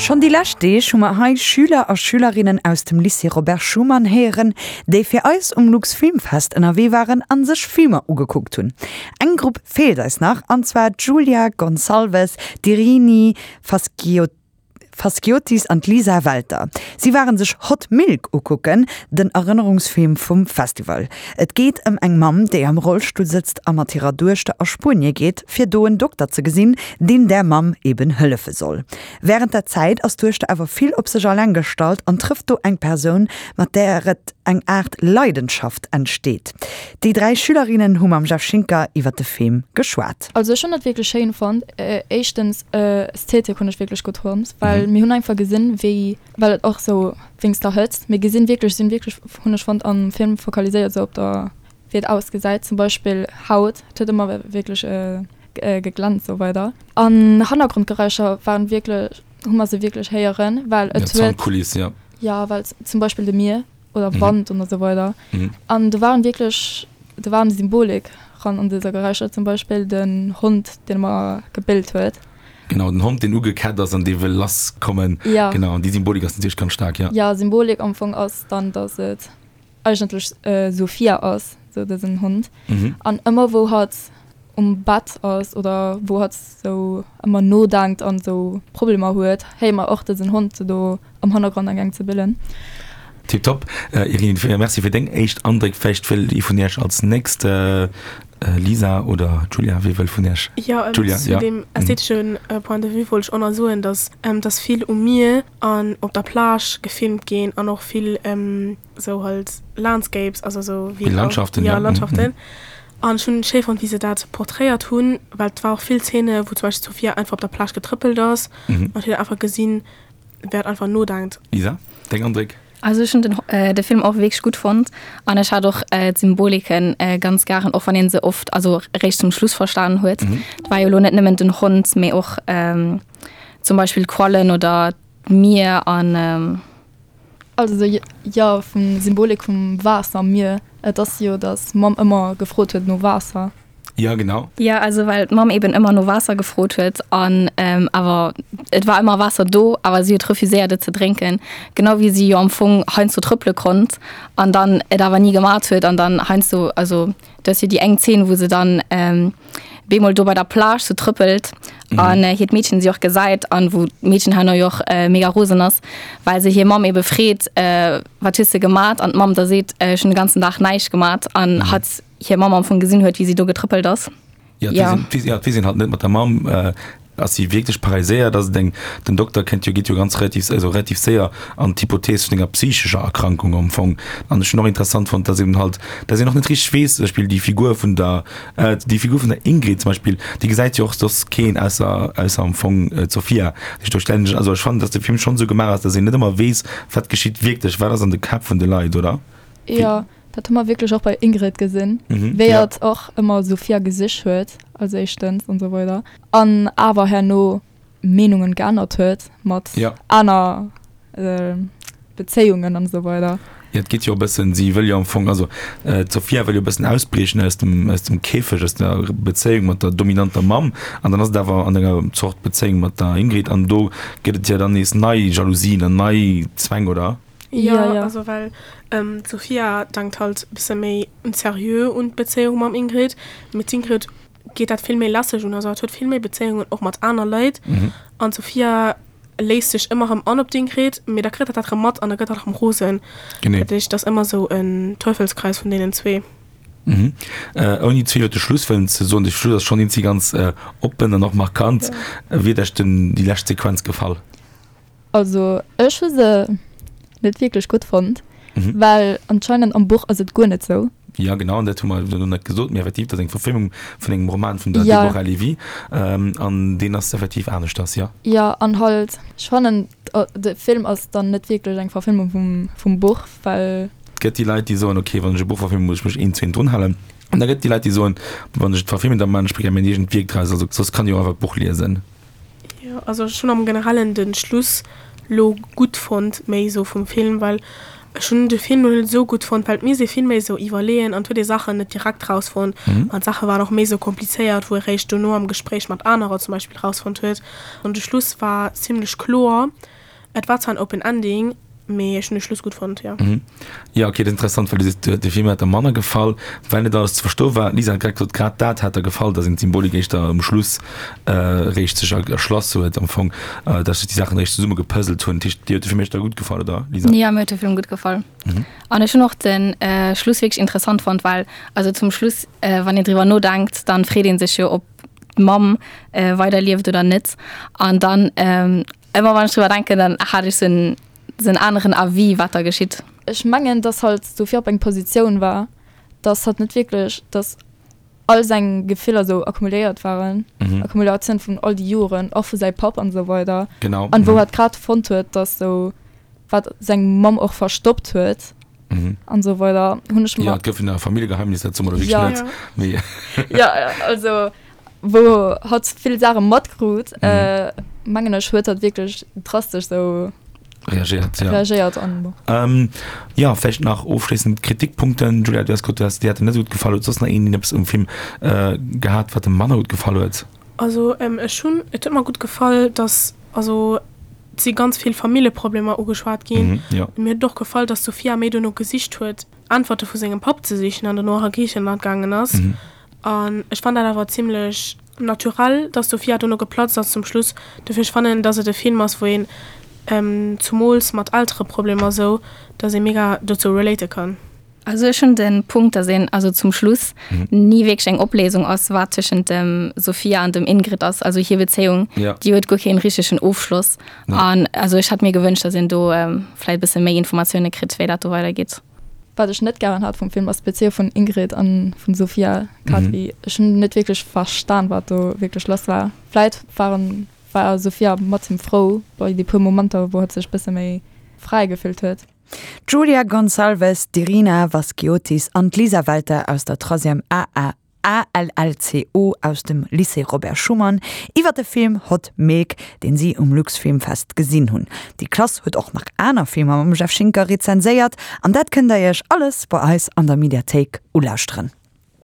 Schonn déi lescht Deeg hu mer hei Schüler a Schülerinnen aus dem Lycée Robert Schuman héieren, déi fir eis um Luxfilmfest ënnerwee waren an sech Filmer ugekuckt hunn. Eng Grupp feelt eis nach, an zwar d'Julia Gonçalves, d'Irini Faskiotis an d'Lisa Welter. Si waren sech Hot Milk ukucken, den Erënnerungsfilm vum Festival. Et geet ëm eng Mamm, déi am Rollstull sëtzt a mat hirer Duechter a Spuenie geet, fir do en Dokter ze gesinn, deen där Mamm eben hëllefe soll. Wärend der Zäit ass d'Duechter awer vill op sech alleng gestallt an trëfft do eng Persoun, mat där et eng Aart Leidenschaft entsteet. Déi 3 Schülerinnen hu mam Jeff Schinker iwwer de Film geschwat. Also ech hunn et wierklech schéin fonnt. Éischtens Ästhetik hunn ech wierklech gutt fonnt, well mir hunn einfach gesinn wéi, well et och sou wéinst der Hëtzt, mir gesinn wierklech, sinn wierklech hunn ech fonnt am Film fokaliséiert sou op der wéi et ausgesäit, zum Beispill Haut, et huet ëmmer wierklech geglänzt sou weider. An Hannergrondgeräischer waren wierklech, hu mer se wierklech héieren, well et huet. Soundkuliss, jo. Jo, well zum Beispill de Mier oder Wand und esou weider. An do waren wierklech, do waren Symbolik ran an dëser Geräischer, zum Beispill den Hond, deen ëmmer gebellt huet. Genau, den Hond, deen ugekett ass an dee wëll lass kommen. Ja. Genau, an déi Symbolik ass natierlech ganz staark, ja. Ja, Symbolik am Fong ass dann, dass et eigentlech Sophia ass, sou dësen Hond. An ëmmer wou hatt um Bett ass oder wou hatt sou ëmmer nodenkt an sou Problemer huet, héiere mer och dësen Hond do am Hannergrond am gaang ze billen. Tiptop. Irene, merci fir deng éischt Andréck. Vläicht wëll ee vun iech als nächst, Lisa oder Julia, wie wëll vun iech? Jo, Julia, zu deem ästheteschen Point de vue wollt ech och nach soen, dass dass vill um Mier an op der Plage gefilmt ginn an och vill sou halt Landscapes, also sou wéi Landschaften, ja, Landschaften. An ech hunn schéi fonnt, wéi se dat portréiert hunn, well et war och vill Zeene wou zum Beispill d'Sophia einfach op der Plage getrëppelt ass an et huet een einfach gesinn, wéi hat einfach nodenkt. Lisa, deng Andréck? Also ech hunn den de Film och wierklech gutt fonnt an ech hat och d'Symboliken ganz garen, och wann een se oft, also eréischt zum Schluss verstanen huet. Et war jo elo net nëmmen den Hond, mee och zum Beispill d'Quallen oder d'Mier an. Also jo, vum Symbolik vum Waasser am Mier, et ass jo, datt d'Mamm ëmmer gefrot huet no Waasser. Jo, genau. Jo, also well d'Mamm eben ëmmer no Waasser gefrot huet an awer et war ëmmer Waasser do, awer si huet refuséiert et ze drénken, genau wéi si jo am Fong heiansdo trëppele konnt an dann et awer ni gemat huet an dann heiansdo, also Do ass jo déi eng Zeen, wou se dann bemol do bei der Plage sou trëppelt an hiert Meedchen si och gesäit an wou d'Meedchen herno jo och mega rosen ass, well se hir Mamm ebe freet, wat hues de gemat? An d'Mamm da seet, ech hunn de ganzen Dag näischt gemat an hatt hir Mamm am Fong gesinn huet, wéi si do getrëppelt ass. Ja, et weess een halt net mat der Mamm. Ass si wierklech paralyséiert? Ass et eng, den Dokter kennt jo, geet jo ganz relativ, also relativ séier an d'Hypothees vun enger psychescher Erkrankung am Fong. An ech hunn och interessant fonnt, dass eben halt, dass een och net richteg weess, zum Beispill déi Figur vun der, déi Figur vun der Ingrid zum Beispill, déi gesäit jo och soss keen ausser, ausser am Fong d'Sofia. Dat heescht, do stellen ech, also ech fannen, dass de Film schonn esou gemaach ass, dass een net ëmmer weess, wat geschitt wierklech, wat ass an de Käpp vun de Leit, oder? Jo. Dat hu mer wierklech och bei Ingrid gesinn, wéi hatt och ëmmer Sophia gesich huet als éischtens an esou weider an awer herno Meenungen geännert huet mat aner Bezéiungen an esou weider. Jo, et geet jo e bëssen, si wëll jo am Fong, also d'Sophia wëll jo e bëssen ausbriechen aus dem, aus dem Käfeg, aus der Bezéiung mat der dominanter Mamm an dann ass et awer an enger Zort Bezéiung mat der Ingrid an do gëtt et jo dann nees nei Jalousien an nei Zwäng, oder? Jo, ja, also well d'Sophia denkt halt bësse méi seriö un d'Bezéiung mam Ingrid, mee d'Ingrid geet dat vill méi lässeg un, also hatt huet vill méi Bezéiungen och mat aner Leit an d'Sophia léisst sech ëmmer erëm an op d'Ingrid, mee da kritt hatt dat erëm mat an da gëtt hatt erëm rosen. Genee. Dat heescht, et ass ëmmer esou en Teufelskreis vun deenen zwee. Mhm. Ouni ze vill iwwer de Schluss wëllen ze soen, de Schluss ass schonn eenzi ganz oppen an och markant. Wéi huet Iech den déi lescht Sequenz gefall? Also ech hu se net wierklech gutt fonnt, well anscheinend am Buch ass et guer net sou. Jo genau, an dat hu mer elo net gesot, mee effektiv, dat ass eng Verfilmung vun engem Roman vun der Deborah Levy, an deen ass effektiv aneschters, jo. Jo, an halt, ech fannen de Film ass dann net wierklech eng Verfilmung vum Buch, well. Et gëtt déi Leit, déi soen, ok, wann ech e Buch verfilmen, muss ech mech eent zu eent drun halen. An da gëtt et déi Leit, déi soen, wann ech et verfilmen, da maachen ech gär mäin eegent Wierk draus, also soss kann ech och einfach d'Buch liesen. Jo, also ech hunn am Generellen den Schluss lo gutt fonnt, méi sou vum Film, well. Ech hunn de Film lo net esou gutt fonnt, well et misst ee vill méi esou iwwerleeën an et huet ee Saachen net direkt rausfonnt an d'Saache waren och méi esou komplizéiert, wou ee réischt dono am Gespréich mat anerer zum Beispill rausfonnt huet. An de Schluss war zimlech kloer. Et war zwar en Open Ending, mee ech hunn de Schluss gutt fonnt, jo. Jo, ok, dat ass interessant, well du sees, de Film hätt der manner gefall, well net alles ze verstoe war. D'Lisa hat grad gesot, grad dat hätt der gefall, datt een d'Symbolik éischter um Schluss réischt sech erschloss huet am Fong, datt sech déi Saachen réischt zesumme gepuzzelt hunn. Dat heescht, dir huet de Film éischter gutt gefall, oder Lisa? Jo, mir huet de Film gutt gefall. An ech hunn och de Schluss wierklech interessant fonnt, well also zum Schluss, wann een driwwer nodenkt, dann freet ee sech jo, ob d'Mamm weider lieft oder net. An dann ëmmer wann ech driwwer denken, dann hat ech sou en sou en aneren Avis, wat da geschitt. Ech mengen, dass halt d'Sophie op eng Positioun war, dass hatt net wierklech, dass all seng Gefiller sou akkumuléiert waren, Akkumulatioun vun all déi Joren, och vu säi Papp an esou weider. Genau. An wou hatt grad fonnt huet, dass sou wat seng Mamm och verstoppt huet an esou weider, hunn ech mer. Jo, et gouf en Familljegeheimnis, dat soe mer elo wierklech net, mee. Jo, also wou hatt vill Saache matkrut, mengen ech, huet hatt wierklech drastesch sou. Reagéiert, ja. Reagéiert an bon. Ähm, ja, vläicht nach ofschléissend Kritikpunkten. Julia, du has gesot, du has, dir hat en net esou gutt gefall. Huet soss nach een een eppes um Film äh, gehat, wat em manner gutt gefall huet? Also ähm, ech hunn, et huet mer gutt gefall, dass, also et si ganz vill Familljeproblemer ugeschwat ginn. Mhm, ja. Mir huet et och gefall, dass d'Sofia méi duerno gesicht huet, Äntwerte vu sengem Papp ze sichen an dono och a Griichenland gaangen ass. Mhm. An ech fann dat awer zimlech naturell, dass d'Sofia dono geplatzt ass zum Schluss. Dofir ech fannen, dass et e Film ass, wou een, zumools mat Eltereproblemer sou, dass ee mega dozou relate kann. Also ech hunn de Punkt, dass een also zum Schluss ni wierklech eng Opléisung ass, wat tëschent dem Sofia an dem Ingrid ass. Also hir Bezéiung, déi huet guer keen richtegen Ofschloss. An also ech hätt mir gewënscht, dass een do vläicht e bësse méi Informatioune kritt, wéi dat do weidergeet. Wat ech net gären hat vum Film ass d'Bezéiung vun Ingrid an vun Sofia Kadri. Ech hunn net wierklech verstan wat do wierklech lass war. Vläit waren war Sofia mat him frou bei déi puer Momenter wou hatt sech bësse méi fräi gefillt huet. D'Julia Gonçalves, d'Irina Vaskiotis an d'Lisa Welter aus der Troisième AA ALLCO aus dem Lycée Robert Schuman iwwer de Film Hot Milk, deen si um Luxfilmfest gesinn hunn. Déi Klass huet och nach aner Filmer mam Jeff Schinker rezenséiert an dat kënnt der iech alles bei eis an der Mediathéik ulauschteren.